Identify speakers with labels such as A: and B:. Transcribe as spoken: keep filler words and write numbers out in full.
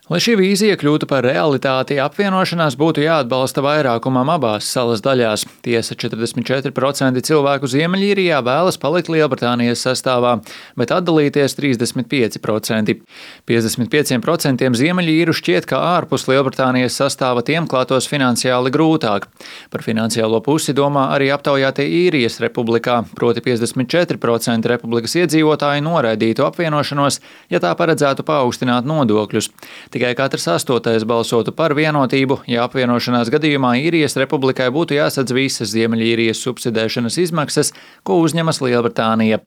A: Lai šī vīzija kļūtu par realitāti, apvienošanās būtu jāatbalsta vairākumam abās salas daļās. Tiesa, četrdesmit četri procenti cilvēku Ziemeļīrijā vēlas palikt Lielbritānijas sastāvā, bet atdalīties trīsdesmit pieci procenti. piecdesmit pieciem procentiem Ziemeļīru šķiet, ka ārpus Lielbritānijas sastāva tiem klātos finansiāli grūtāk. Par finansiālo pusi domā arī aptaujātie Īrijas republikā, proti piecdesmit četri procenti republikas iedzīvotāji noraidītu apvienošanos, ja tā paredzētu paaugstināt nodokļus. Tikai katrs astotais balsotu par vienotību, ja apvienošanās gadījumā Īrijas republikai būtu jāsadz visas Ziemeļīrijas subsidēšanas izmaksas, ko uzņemas Lielbritānija.